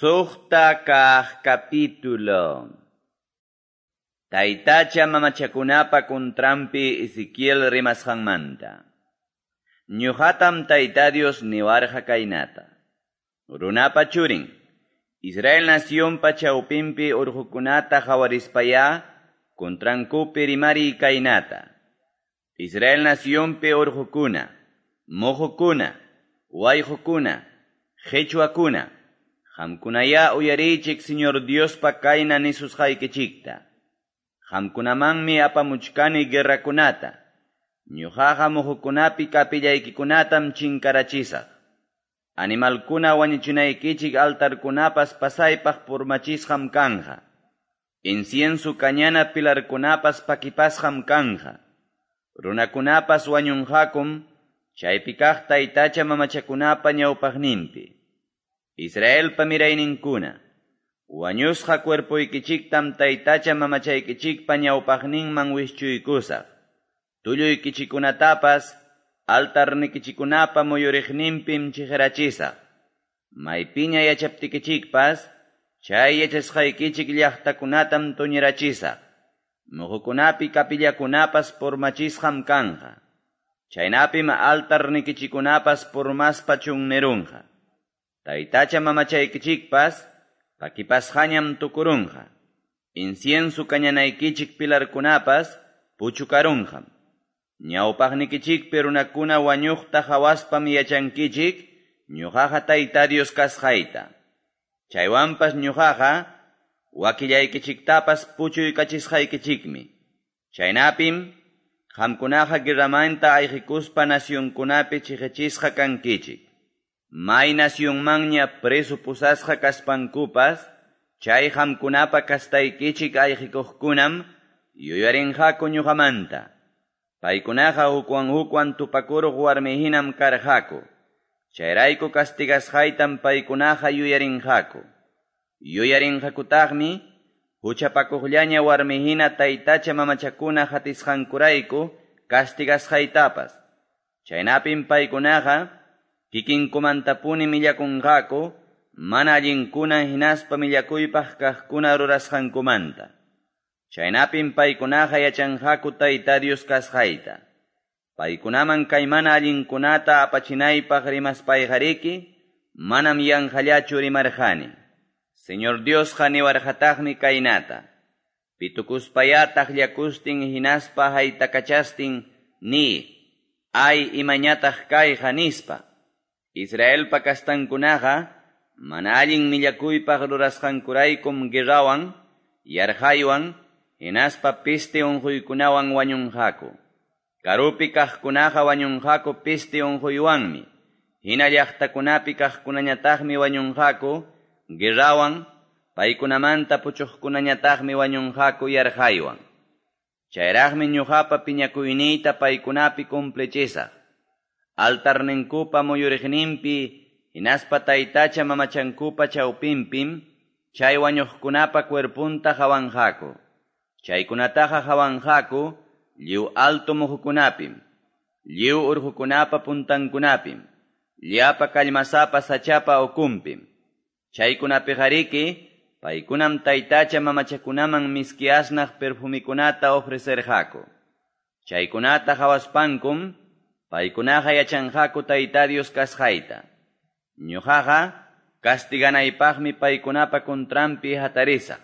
Suqta kaq capítulo. Taytacha mamachakunapa kuntranpi Ezequiel rimasqanmanta. Ñuqatam Tayta Dios niwarqa kaynata. Runapa churin, Israel nacionpa chawpinpi urqukunata qhawarispayá kuntrankupi rimariy kaynata. Israel nacionpi urqukuna, muqukuna, wayqukuna, qhichwakuna, qamkunayá uyariychik Señor Diospa kayna nisusqaykichikta. Qamkunamanmi apamuchkani guerrakunata. Ñuqaqa muhukunapi kapillaykikunatam chinkarachisaq. Animalkuna wañuchinaykichik altarkunapas pasaypaq purmachisqam kanja. Incienso kañana pilarkunapas pakipasqam kanja. Runakunapas wañunqakum chaypi kaq taytacha mamachakunapa ñawpaqninpi. Israelpa mirayninkuna, wañusqa cuerpoykichiktam taytacha mamachaykichikpa ñawpaqninman wischuykusaq. Tulluykichikunatapas altarnikichikunapa muyuriqninpim chiqirachisaq. Maypiña yachaptikichikpas, chay yachasqaykichik llaqtakunatam tuñirachisaq. Muhukunapi kapillakunapas purmachisqam kanja. Chaynapim altarnikichikunapas purmaspa chunnirunqa. Taytacha mamachaykichikpas pakipasqañam tukurunqa. Incienso kañanaykichik pilarkunapas puchukarunqam. Ñawpaqnikichikpi runakuna wañuqta hawaspam yachankichik ñuqaqa Tayta Dios kasqayta. Chaywanpas ñuqaqa wakillaykichiktapas puchuykachisqaykichikmi. Chaynapim qamkunaqa guerramanta ayqikuspa nacionkunapi chiqichisqa kankichik. May nacionmanña preso pusasqa kaspankupas, chay qamkunapa kastaykichik ayqikuqkunam yuyarinqaku ñuqamanta. Paykunaqa hukwan hukwan tupakuruq warmihinam karqaku. Chayrayku castigasqaytam paykunaqa yuyarinqaku. Yuyarinqakutaqmi huchapakuqllaña warmihina taytacha mamachakuna hatisqankurayku castigasqaytapas. Chaynapim paykunaqa kikinkumantapuni millakunqaku mana allinkuna hinaspa millakuypaq kaqkuna rurasqankumanta. Chaynapim paykunaqa yachanqaku Tayta Dios kasqayta. Paykunaman kay mana allinkunata apachinaypaq rimaspayqariki, manam yanqallachu rimarqani. Señor Diosqa niwarqataqmi kaynata. Pitukuspayá taqllakustin hinaspa haytakachastin ni, ay imañataq kayqa nispa. Israelpa kastankunaqa mana allin millakuypaq rurasqankuraykum guerrawan, yarqaywan, hinaspa peste unquykunawan wañunqaku. Karupi kaqkunaqa wañunqaku peste unquywanmi. Hina llaqtakunapi kaqkunañataqmi wañunqaku guerrawan, paykunamanta puchuqkunañataqmi wañunqaku yarqaywan. Chayraqmi ñuqapa piñakuyniyta paykunapi cumplichisaq. Altarninkupa muyuriqninpi hinaspa taytacha mamachankupa chawpinpim chay wañuqkunapa cuerpunta hawanqaku. Chaykunataqa hawanqaku lliw alto muhukunapim, lliw urqukunapa puntankunapim, llapa kallmasapa sachapa ukunpim. Chaykunapiqariki paykunam taytacha mamachakunaman miski asnaq perfumikunata ofrecerqaku. Chaykunata hawaspankum paykunaqa yachanqaku Tayta Dios kasqayta. Ñuqaqa castiganaypaqmi paykunapa kuntranpi hatarisaq.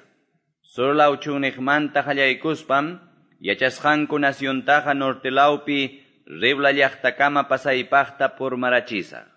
Sur law chunniqmanta qallaykuspam yachasqanku naciontaqa norte lawpi Ribla llaqtakama pasaypaqta purmarachisaq.